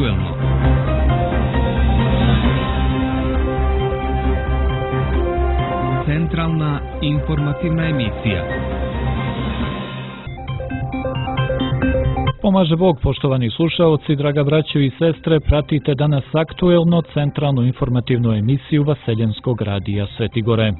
aktuelno. Centralna informativna emisija. Pomaže Bog, poštovani slušaoci, draga braćo i sestre, pratite danas aktuelno centralnu informativnu emisiju Vaseljenskog radija Sveti Gore.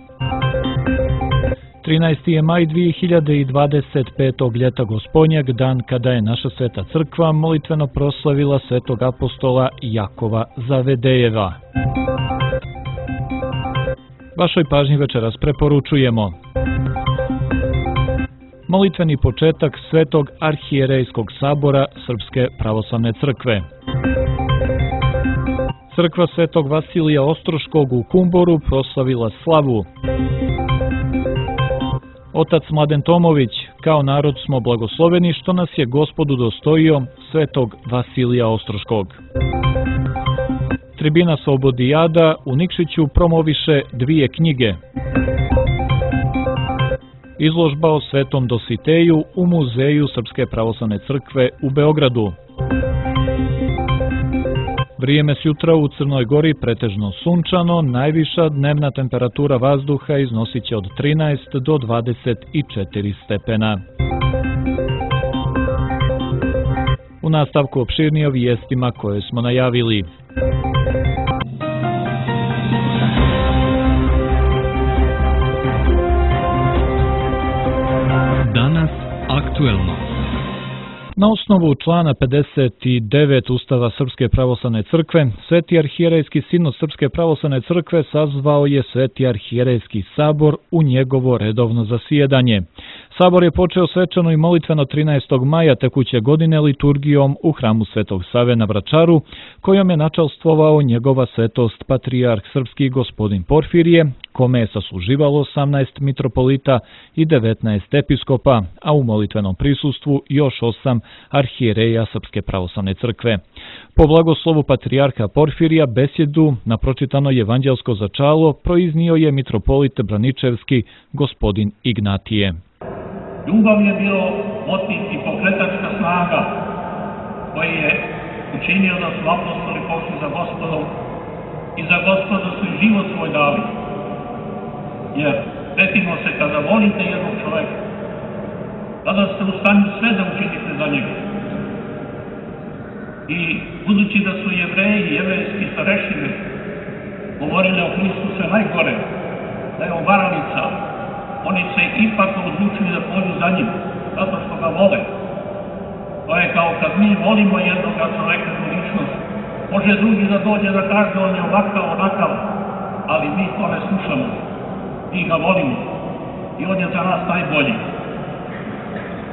13. je maj 2025. ljeta Gospodnjeg, dan kada je naša Sveta Crkva molitveno proslavila svetog apostola Jakova Zavedejeva. Vašoj pažnji večeras preporučujemo molitveni početak Svetog arhijerejskog sabora Srpske pravoslavne crkve. Crkva Svetog Vasilija Ostroškog u Kumboru proslavila slavu. Otac Mladen Tomović, kao narod smo blagosloveni što nas je Gospod udostojio Svetog Vasilija Ostroškog. Tribina Slobodijada u Nikšiću promoviše 2 knjige. Izložba o Svetom Dositeju u Muzeju Srpske pravoslavne crkve u Beogradu. Vrijeme sjutra u Crnoj Gori pretežno sunčano, najviša dnevna temperatura vazduha iznosit će od 13 do 24 stepena. U nastavku opširnije o vijestima koje smo najavili. Danas aktuelno. Na osnovu člana 59 Ustava Srpske pravoslavne crkve, Sveti arhijerejski sinod Srpske pravoslavne crkve sazvao je Sveti arhijerejski sabor u njegovo redovno zasjedanje. Sabor je počeo svečano i molitveno 13. maja tekuće godine liturgijom u hramu Svetog Save na Vračaru, kojom je načalstvovao njegova svetost patrijarh srpski gospodin Porfirije, kome je sasluživalo 18 mitropolita i 19 episkopa, a u molitvenom prisustvu još 8 arhijereja Srpske pravoslavne crkve. Po blagoslovu patrijarha Porfirija besjedu na pročitano evanđelsko začalo proiznio je mitropolit Braničevski gospodin Ignatije. Ljubav je bio motiv i pokretačka snaga koji je učinio da su apostoli pošli za Gospodom i za Gospoda su i život svoj dali. Jer setimo se, kada volite jednog čoveka, tada ste u stanju sve da učinite za njega. I budući da su Jevreji i jevrejski starešine govorili o Hristu sve najgore, da je on varalica, oni se ipak odlučili da pođu za njim, zato što ga vole. To je kao kad mi volimo jednog čoveka u ličnost. Može drugi da dođe da kaže on je ovakav, onakav, ali mi to ne slušamo. Mi ga volimo i on je za nas najbolji.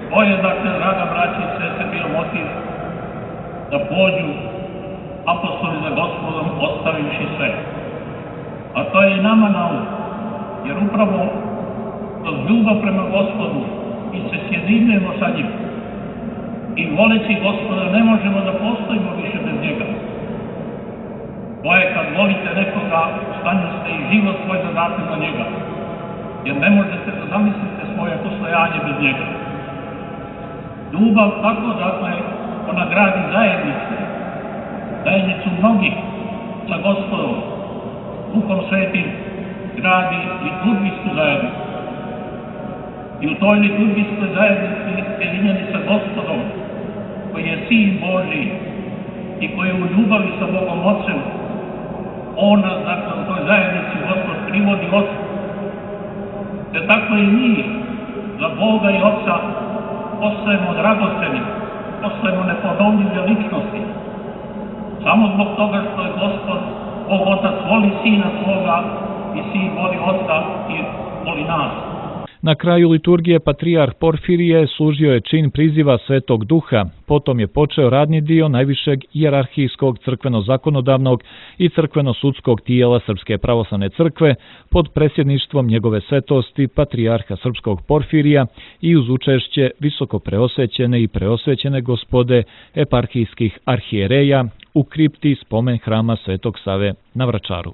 To je, dakle, draga braća i sestre, bio motiv da pođu apostoli za Gospodom ostavivši sve. A to je i nama na um, jer upravo kroz ljubav prema Gospodu mi se sjedinjujemo sa njim. I voleći Gospoda ne možemo da postojimo više bez njega. To je kad volite nekoga, u stanju ste i život svoj da date za njega. Jer ne možete da zamislite svoje postojanje bez njega. Ljubav tako, dakle, ona gradi zajednicu mnogih sa Gospodom. Duhom Svetim gradi liturgijsku zajednicu. I u toj liturgijskoj zajednici sjedinjeni sa Gospodom, koji je Sin Božji i koji je u ljubavi sa Bogom Otcem, on nas, dakle, u toj zajednici Gospod privodi Otcu. Te tako i mi za Boga i Otca postajemo dragoceni, postajemo neponovljive ličnosti. Samo zbog toga što je Gospod, Bog Otac, voli Sina svoga i Sin voli Otca i voli nas. Na kraju liturgije patrijarh Porfirije služio je čin priziva Svetog Duha, potom je počeo radni dio najvišeg hijerarhijskog crkveno-zakonodavnog i crkveno-sudskog tijela Srpske pravoslavne crkve pod presjedništvom njegove svetosti patrijarha srpskog Porfirija i uz učešće visoko preosvećene i preosvećene gospode eparhijskih arhijereja u kripti spomen hrama Svetog Save na Vračaru.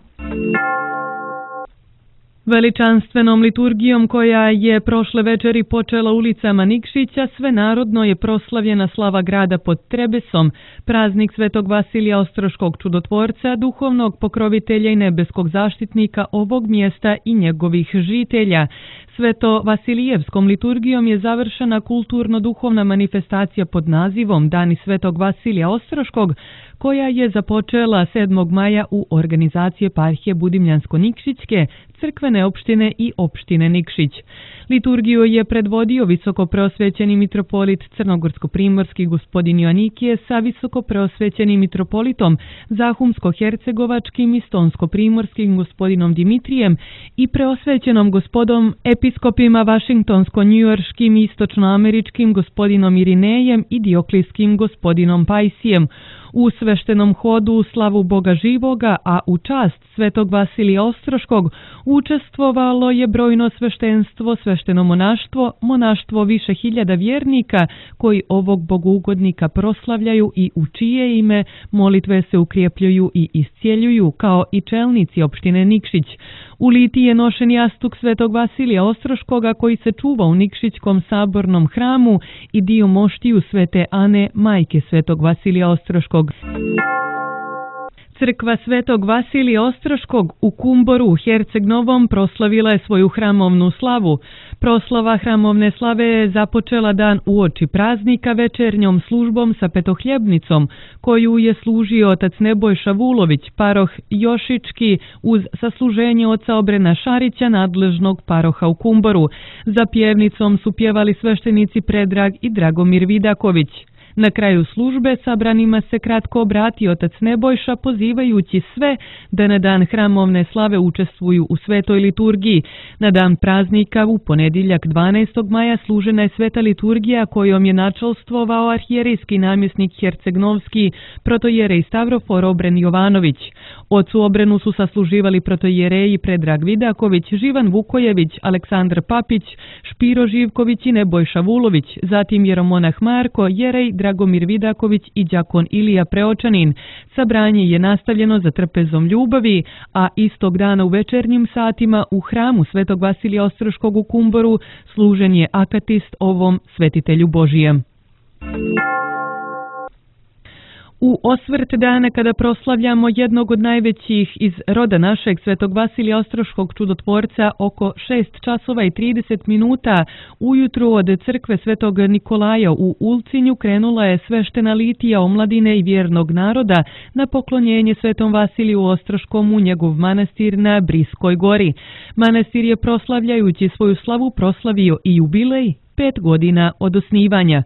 Veličanstvenom liturgijom koja je prošle večeri počela ulicama Nikšića, svenarodno je proslavljena slava grada pod Trebesom, praznik Svetog Vasilija Ostroškog čudotvorca, duhovnog pokrovitelja i nebeskog zaštitnika ovog mjesta i njegovih žitelja. Sveto Vasilijevskom liturgijom je završena kulturno-duhovna manifestacija pod nazivom Dani Svetog Vasilija Ostroškog, koja je započela 7. maja u organizaciji eparhije Budimljansko-Nikšićke, crkvene opštine i opštine Nikšić. Liturgiju je predvodio visokopreosvećeni mitropolit Crnogorsko-primorski gospodin Joanikije sa visokopreosvećenim mitropolitom Zahumsko-hercegovačkim i Stonsko-primorskim gospodinom Dimitrijem i preosvećenom gospodom episkopima Vašingtonsko-njujorškim i istočnoameričkim gospodinom Irinejem i Dioklijskim gospodinom Pajsijem. U sveštenom hodu u slavu Boga živoga, a u čast Svetog Vasilija Ostroškog učestvovalo je brojno sveštenstvo, svešteno monaštvo, monaštvo više hiljada vjernika koji ovog bogougodnika proslavljaju i u čije ime molitve se ukrijepljuju i iscijeljuju, kao i čelnici opštine Nikšić. U liti je nošen jastuk Svetog Vasilija Ostroškoga koji se čuva u Nikšićkom sabornom hramu i dio moštiju Svete Ane, majke Svetog Vasilija Ostroškog. Crkva Svetog Vasilija Ostroškog u Kumboru u Herceg Novom proslavila je svoju hramovnu slavu. Proslava hramovne slave je započela dan uoči praznika večernjom službom sa petohljebnicom, koju je služio otac Nebojša Vulović, paroh Jošički, uz sasluženje oca Obrena Šarića, nadležnog paroha u Kumboru. Za pjevnicom su pjevali sveštenici Predrag i Dragomir Vidaković. Na kraju službe sabranima se kratko obratio otac Nebojša, pozivajući sve da na dan hramovne slave učestvuju u svetoj liturgiji. Na dan praznika u ponedjeljak 12. maja služena je sveta liturgija kojom je načelstvovao arhijerijski namjesnik Hercegnovski protojerej Stavrofor Obren Jovanović. Ocu Obrenu su sasluživali protojereji Predrag Vidaković, Živan Vukojević, Aleksandar Papić, Špiro Živković i Nebojša Vulović, zatim jeromonah Marko, jerej Dragomir Vidaković i đakon Ilija Preočanin. Sabranje je nastavljeno za trpezom ljubavi, a istog dana u večernjim satima u hramu Svetog Vasilija Ostroškog u Kumboru služen je akatist ovom svetitelju Božijem. U osvrt dana kada proslavljamo jednog od najvećih iz roda našeg Svetog Vasilija Ostroškog čudotvorca oko 6 časova i 30 minuta ujutru od crkve Svetog Nikolaja u Ulcinju krenula je sveštena litija omladine i vjernog naroda na poklonjenje Svetom Vasiliju Ostroškom u njegov manastir na Briskoj gori. Manastir je proslavljajući svoju slavu proslavio i jubilej 5 godina od osnivanja.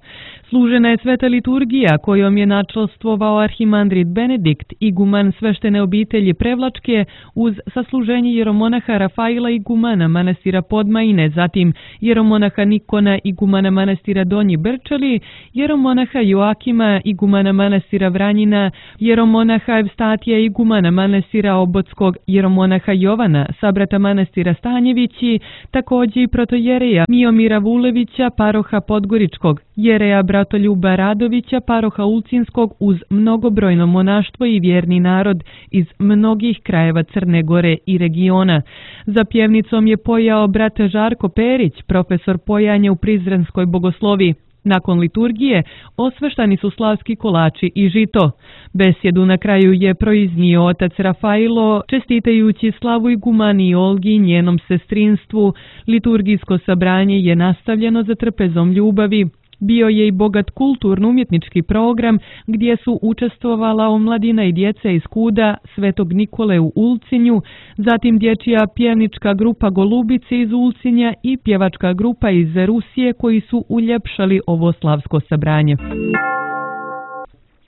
Služena je sveta liturgija kojom je načelstvovao arhimandrit Benedikt, iguman sveštene obitelji Prevlačke, uz sasluženje jeromonaha Rafaila igumana manastira Podmajine, zatim jeromonaha Nikona igumana manastira Donji Brčali, jeromonaha Joakima igumana manastira Vranjina, jeromonaha Evstatija igumana manastira Obotskog, jeromonaha Jovana sabrata manastira Stanjevići, također i protojereja Miomira Vulevića, paroha Podgoričkog, jereja Bratoljuba Radovića, paroha Ulcinskog, uz mnogobrojno monaštvo i vjerni narod iz mnogih krajeva Crne Gore i regiona. Za pjevnicom je pojao brat Žarko Perić, profesor pojanja u Prizrenskoj bogoslovi. Nakon liturgije osveštani su slavski kolači i žito. Besjedu na kraju je proiznio otac Rafailo, čestitajući slavu igumani Olgi i njenom sestrinstvu. Liturgijsko sabranje je nastavljeno za trpezom ljubavi. Bio je i bogat kulturno-umjetnički program gdje su učestvovala omladina i djeca iz Kuda, Svetog Nikole u Ulcinju, zatim dječja pjevnička grupa Golubice iz Ulcinja i pjevačka grupa iz Rusije koji su uljepšali ovo slavsko sabranje.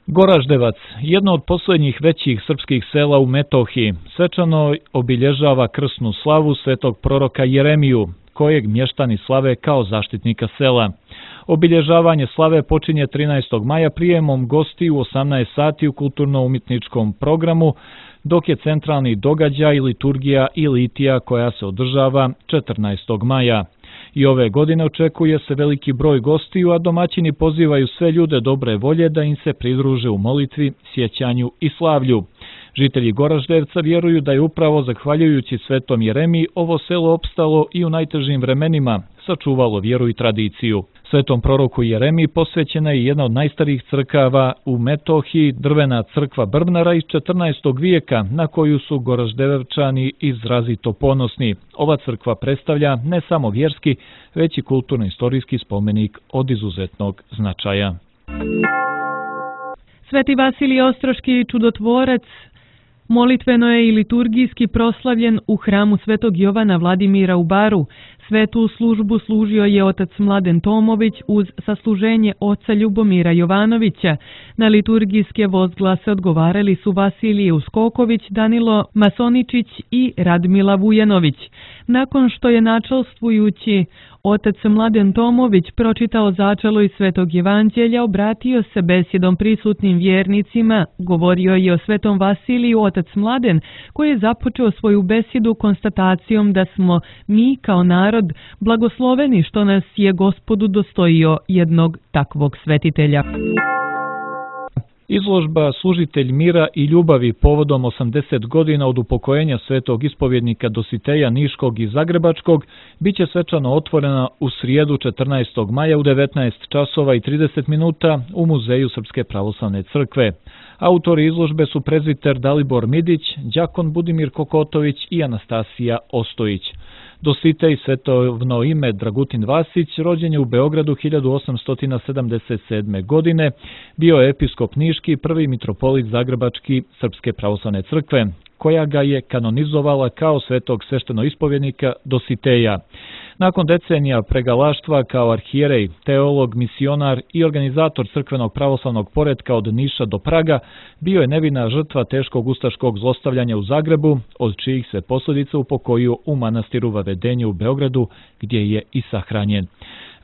Goraždevac, jedno od posljednjih većih srpskih sela u Metohiji, svečano obilježava krsnu slavu svetog proroka Jeremiju, kojeg mještani slave kao zaštitnika sela. Obilježavanje slave počinje 13. maja prijemom gosti u 18 sati u kulturno-umjetničkom programu, dok je centralni događaj liturgija i litija koja se održava 14. maja. I ove godine očekuje se veliki broj gostiju, a domaćini pozivaju sve ljude dobre volje da im se pridruže u molitvi, sjećanju i slavlju. Žitelji Goraždevca vjeruju da je upravo zahvaljujući Svetom Jeremiji ovo selo opstalo i u najtežim vremenima, sačuvalo vjeru i tradiciju. Svetom proroku Jeremiji posvećena je jedna od najstarijih crkava u Metohiji, drvena crkva Brbnara iz 14. vijeka, na koju su Goraždevčani izrazito ponosni. Ova crkva predstavlja ne samo vjerski, već i kulturno-istorijski spomenik od izuzetnog značaja. Sveti Vasilij Ostroški čudotvorac molitveno je i liturgijski proslavljen u hramu Svetog Jovana Vladimira u Baru. Svetu službu služio je otac Mladen Tomović uz sasluženje oca Ljubomira Jovanovića. Na liturgijske vozglase odgovarali su Vasilije Uskoković, Danilo Masoničić i Radmila Vujanović. Nakon što je načelstvujući otac Mladen Tomović pročitao začelo iz Svetog Evanđelja, obratio se besjedom prisutnim vjernicima, govorio je o Svetom Vasiliju otac Mladen, koji je započeo svoju besjedu konstatacijom da smo mi kao narod blagosloveni što nas je Gospodu dostojio jednog takvog svetitelja. Izložba Služitelj mira i ljubavi povodom 80 godina od upokojenja svetog ispovjednika Dositeja Niškog i Zagrebačkog biće svečano otvorena u srijedu 14. maja u 19 časova i 30 minuta u Muzeju Srpske pravoslavne crkve. Autori izložbe su prezbiter Dalibor Midić, đakon Budimir Kokotović i Anastasija Ostojić. Dositej, svetovno ime Dragutin Vasić, rođen je u Beogradu 1877. godine, bio je episkop Niški, prvi mitropolit Zagrebački Srpske pravoslavne crkve, koja ga je kanonizovala kao svetog sveštenoispovjednika Dositeja. Nakon decenija pregalaštva kao arhijerej, teolog, misionar i organizator crkvenog pravoslavnog poretka od Niša do Praga, bio je nevina žrtva teškog ustaškog zlostavljanja u Zagrebu, od čijih se posljedica upokoju u manastiru Vavedenje u Beogradu, gdje je i sahranjen.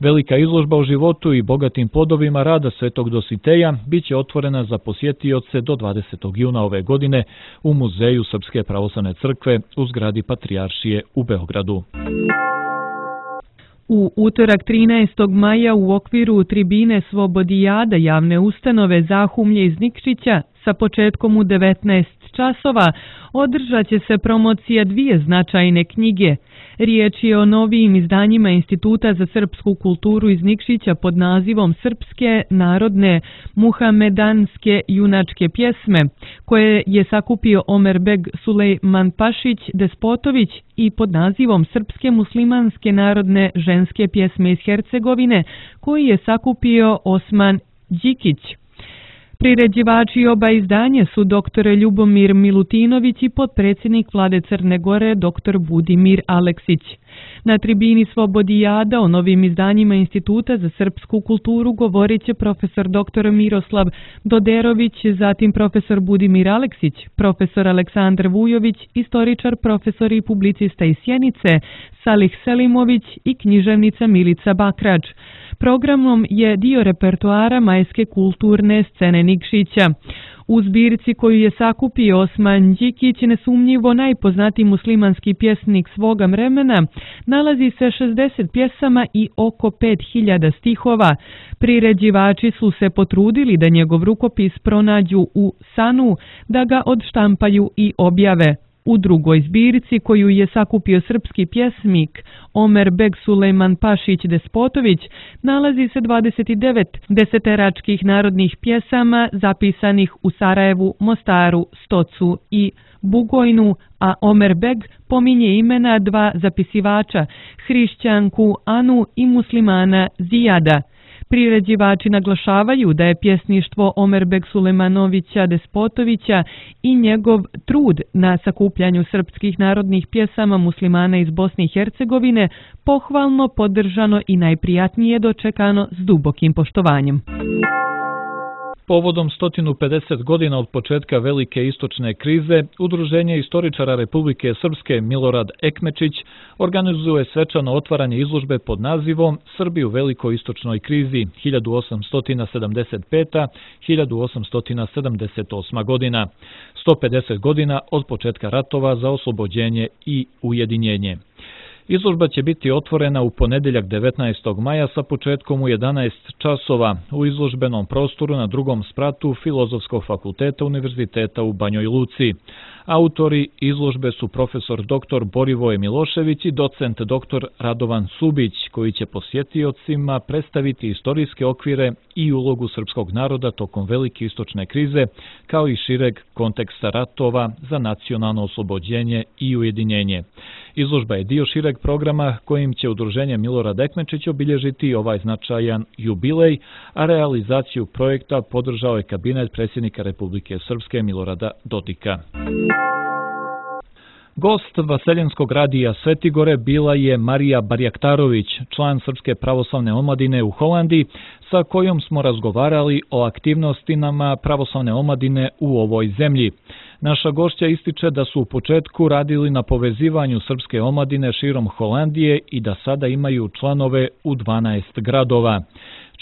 Velika izložba o životu i bogatim plodovima rada svetog Dositeja biće otvorena za posjetioce do 20. juna ove godine u Muzeju Srpske pravoslavne crkve u zgradi Patrijaršije u Beogradu. U utorak 13. maja u okviru tribine Svobodijada javne ustanove Zahumlje iz Nikšića sa početkom u 19 časova održat će se promocija dvije značajne knjige. Riječ je o novijim izdanjima Instituta za srpsku kulturu iz Nikšića pod nazivom Srpske narodne muhamedanske junačke pjesme, koje je sakupio Omerbeg Sulejmanpašić Despotović, i pod nazivom Srpske muslimanske narodne ženske pjesme iz Hercegovine, koji je sakupio Osman Đikić. Priređivači oba izdanja su dr. Ljubomir Milutinović i potpredsjednik Vlade Crne Gore dr. Budimir Aleksić. Na tribini Svobodijada o novim izdanjima Instituta za srpsku kulturu govorit će profesor dr. Miroslav Doderović, zatim profesor Budimir Aleksić, profesor Aleksandar Vujović, istoričar, profesor i publicista iz Sjenice, Salih Selimović i književnica Milica Bakrač. Programom je dio repertoara majske kulturne scene Nikšića. U zbirci koju je sakupio Osman Đikić, nesumnjivo najpoznatiji muslimanski pjesnik svoga vremena, nalazi se 60 pjesama i oko 5000 stihova. Priređivači su se potrudili da njegov rukopis pronađu u sanu, da ga odštampaju i objave. U drugoj zbirci, koju je sakupio srpski pjesnik Omerbeg Sulejmanpašić Despotović, nalazi se 29 deseteračkih narodnih pjesama zapisanih u Sarajevu, Mostaru, Stocu i Bugojnu, a Omerbeg pominje imena dva zapisivača, hrišćanku Anu i muslimana Zijada. Priređivači naglašavaju da je pjesništvo Omerbeg Sulejmanovića Despotovića i njegov trud na sakupljanju srpskih narodnih pjesama muslimana iz Bosne i Hercegovine pohvalno podržano i najprijatnije dočekano s dubokim poštovanjem. Povodom 150 godina od početka velike istočne krize, Udruženje istoričara Republike Srpske Milorad Ekmečić organizuje svečano otvaranje izložbe pod nazivom Srbi u velikoj istočnoj krizi 1875-1878 godina, 150 godina od početka ratova za oslobođenje i ujedinjenje. Izložba će biti otvorena u ponedjeljak 19. maja sa početkom u 11 časova u izložbenom prostoru na drugom spratu Filozofskog fakulteta Univerziteta u Banjoj Luci. Autori izložbe su profesor dr. Borivoje Milošević i docent dr. Radovan Subić, koji će posjetiocima predstaviti istorijske okvire i ulogu srpskog naroda tokom velike istočne krize, kao i šireg konteksta ratova za nacionalno oslobođenje i ujedinjenje. Izložba je dio šireg programa kojim će Udruženje Milorad Ekmečić obilježiti ovaj značajan jubilej, a realizaciju projekta podržao je kabinet predsjednika Republike Srpske Milorada Dodika. Gost Vaseljenskog radija Svetigore bila je Marija Barjaktarović, član Srpske pravoslavne omladine u Holandiji, sa kojom smo razgovarali o aktivnostima pravoslavne omladine u ovoj zemlji. Naša gošća ističe da su u početku radili na povezivanju srpske omladine širom Holandije i da sada imaju članove u 12 gradova.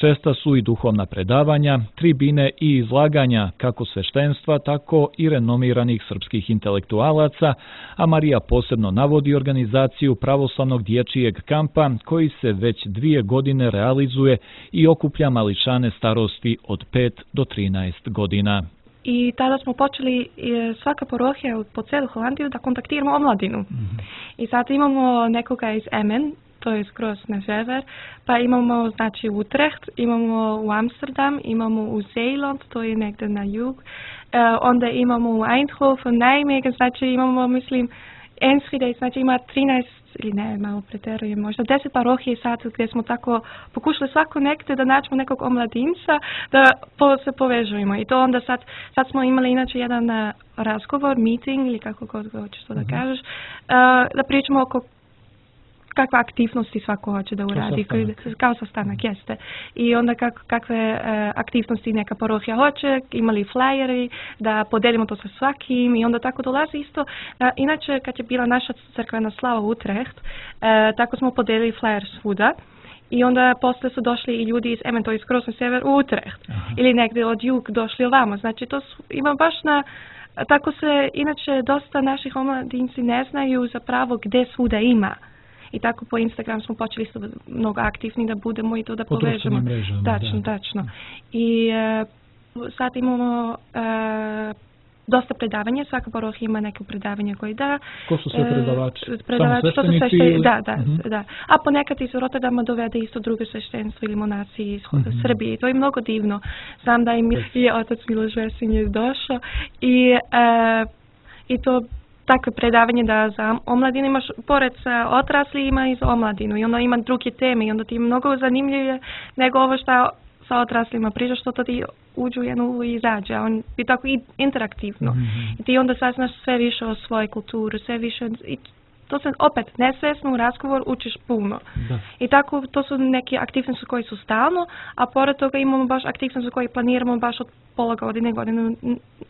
Česta su i duhovna predavanja, tribine i izlaganja kako sveštenstva, tako i renomiranih srpskih intelektualaca, a Marija posebno navodi organizaciju pravoslavnog dječjeg kampa koji se već 2 godine realizuje i okuplja mališane starosti od 5 do 13 godina. I tada smo počeli svaka parohija po celu Holandiju da kontaktiramo omladinu. I sad imamo nekoga iz Emmen, to je skroz na sever, pa imamo znači Utrecht, imamo u Amsterdam, imamo u Zeeland, to je negdje na jug, onda imamo u Eindhoven, Nijmegen, znači imamo, mislim, Enschede, znači ima 13, ili ne, malo preterujem, možda 10 parohije sad gdje smo tako pokušali svako nekde da nađemo nekog omladinca, da se povežujemo. I to onda sad smo imali inače jedan razgovor, meeting, ili kako god hoćeš to da kažeš, da pričamo oko kakve aktivnosti svako hoće da uradi, kao sastanak jeste. I onda kakve aktivnosti neka parohija hoće, imali flyeri, da podelimo to sa svakim i onda tako dolazi isto. Inače, kad je bila naša crkvena slava Utrecht, tako smo podelili flyer svuda. I onda posle su došli i ljudi iz Emmen, to je skroz na sever, u Utrecht. Ili negdje od jug došli ovamo. Znači, to ima baš na... Tako se, inače, dosta naših omladinci ne znaju zapravo gdje svuda ima. I tako po Instagram smo počeli mnogo aktivni da budemo i to da povežemo. Tačno. I sad imamo dosta predavanja, svaka parohija ima neko predavanje koje da. Ko su sve predavači? To su sveštenici? Da. A ponekad iz Rotterdama dovede isto drugo sveštenstvo ili monaci iz Srbije. To je mnogo divno. Znam da je otac Miloš Vesinje došao i to takve predavanje da za omladinu imaš, pored sa odrasli ima i za omladinu i onda ima druge teme i onda ti je mnogo zanimljivije nego ovo što sa odraslima priča, što to ti uđu jednu i izađe, a on je tako i interaktivno. I ti onda saznaš sve više o svojoj kulturi, sve više, i to se opet nesvjesno u razgovor učiš puno. I tako to su neke aktivnosti koje su stalno, a pored toga imamo baš aktivnosti koje planiramo baš od pola godine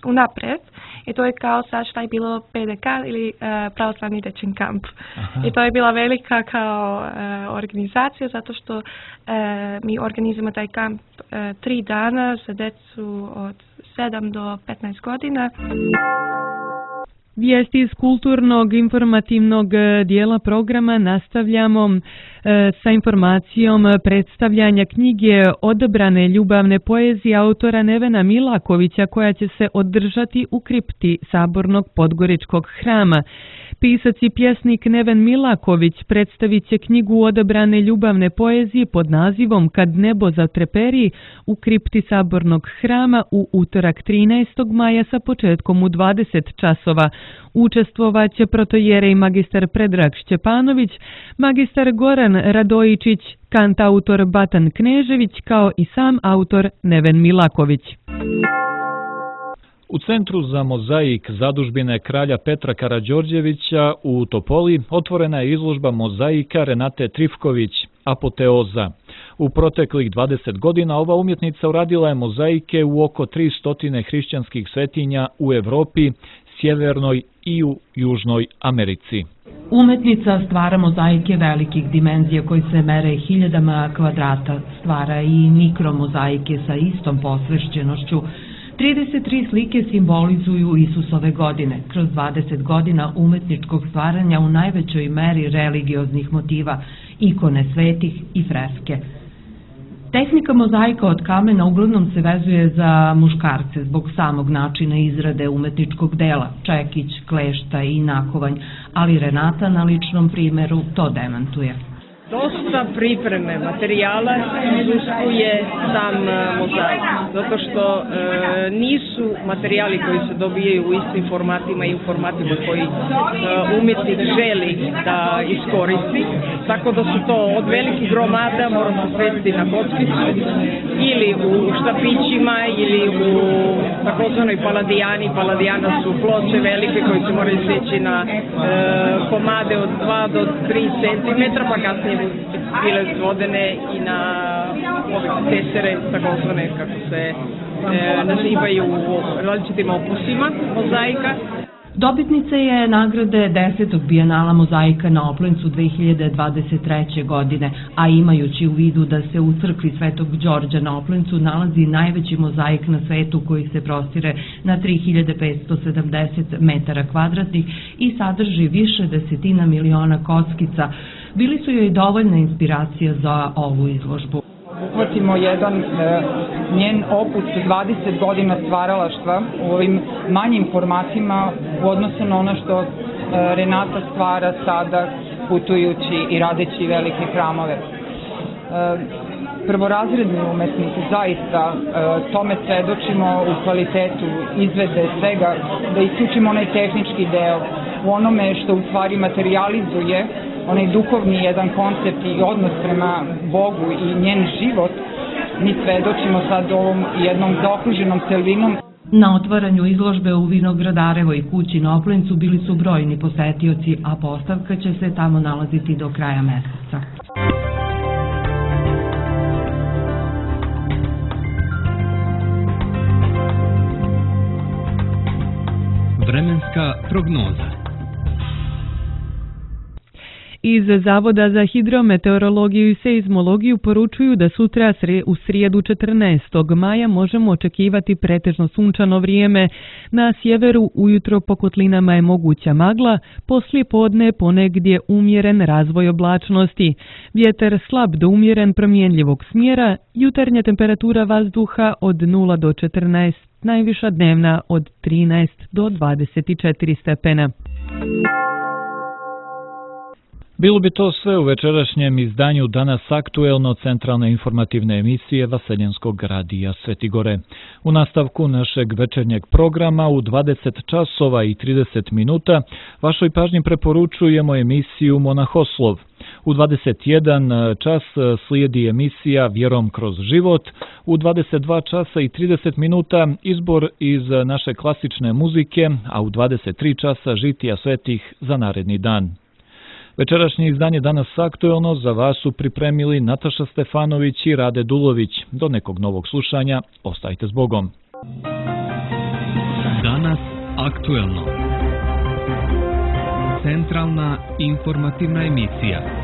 unaprijed. I to je kao sad šta je bilo PDK ili pravoslavni dečji kamp. I to je bila velika kao organizacija zato što mi organizujemo taj kamp 3 dana za djecu od 7 do 15 godina. Vijesti iz kulturnog informativnog dijela programa nastavljamo sa informacijom predstavljanja knjige Odabrane ljubavne poezije autora Nevena Milakovića koja će se održati u kripti Sabornog Podgoričkog hrama. Pisac i pjesnik Neven Milaković predstavit će knjigu Odabrane ljubavne poezije pod nazivom Kad nebo zatreperi u kripti Sabornog hrama u utorak 13. maja sa početkom u 20 časova. Učestvovaće protojerej magistar Predrag Šćepanović, magistar Goran Radojičić, kantautor Batan Knežević kao i sam autor Neven Milaković. U Centru za mozaik zadužbine kralja Petra Karađorđevića u Topoli otvorena je izložba mozaika Renate Trifković, Apoteoza. U proteklih 20 godina ova umjetnica uradila je mozaike u oko 300 hrišćanskih svetinja u Evropi, Sjevernoj i u Južnoj Americi. Umetnica stvara mozaike velikih dimenzija koji se mere hiljadama kvadrata, stvara i mikromozaike sa istom posvećenošću 33 slike simbolizuju Isusove godine, kroz 20 godina umetničkog stvaranja u najvećoj meri religioznih motiva, ikone svetih i freske. Tehnika mozaika od kamena uglavnom se vezuje za muškarce zbog samog načina izrade umetničkog dela, čekić, klešta i nakovanj, ali Renata na ličnom primeru to demantuje. Dosta pripreme materijala izuskuje sam mozaik, zato što nisu materijali koji se dobijaju u istim formatima i u formatima koji umjetnik želi da iskoristi, tako da su to od velikih gromada, mora se svesti na kockicu ili u štapićima ili u takozvanoj paladijani. Paladijana su ploče velike koje se moraju seći na komade od 2 do 3 cm, pa kasnije bile svodene i na ove tesere, takozvane, kako se nazivaju u različitim opusima mozaika. Dobitnica je nagrade 10. bijenala mozaika na Oplencu 2023. godine, a imajući u vidu da se u crkvi Svetog Đorđa na Oplencu nalazi najveći mozaik na svetu koji se prostire na 3570 metara kvadratnih i sadrži više desetina miliona kockica, bili su joj dovoljna inspiracija za ovu izložbu. Uhvatimo jedan njen opus 20 godina stvaralaštva u ovim manjim formatima u odnosu na ono što Renata stvara sada putujući i radeći velike hramove. Prvorazredni umetnik, zaista tome svedočimo u kvalitetu izvede svega, da isključimo onaj tehnički deo u onome što u stvari materializuje onaj duhovni jedan koncept i odnos prema Bogu i njen život. Mi svedočimo sad ovom jednom zaokruženom celinom. Na otvaranju izložbe u Vinogradarevoj kući na Oplencu bili su brojni posetioci, a postavka će se tamo nalaziti do kraja meseca. Vremenska prognoza. Iz Zavoda za hidrometeorologiju i seizmologiju poručuju da sutra u srijedu 14. maja možemo očekivati pretežno sunčano vrijeme. Na sjeveru ujutro po kotlinama je moguća magla, poslije podne ponegdje umjeren razvoj oblačnosti. Vjetar slab do umjeren promjenljivog smjera, jutarnja temperatura vazduha od 0 do 14, najviša dnevna od 13 do 24 stepena. Bilo bi to sve u večerašnjem izdanju Danas aktuelno centralne informativne emisije Vaseljenskog radija Svetigore. U nastavku našeg večernjeg programa u 20 časova i 30 minuta vašoj pažnji preporučujemo emisiju Monahoslov. U 21 čas slijedi emisija Vjerom kroz život, u 22 časa i 30 minuta izbor iz naše klasične muzike, a u 23 časa žitija svetih za naredni dan. Večerašnje izdanje Danas aktuelno za vas su pripremili Nataša Stefanović i Rade Dulović. Do nekog novog slušanja, ostajte s Bogom. Danas aktuelno. Centralna informativna emisija.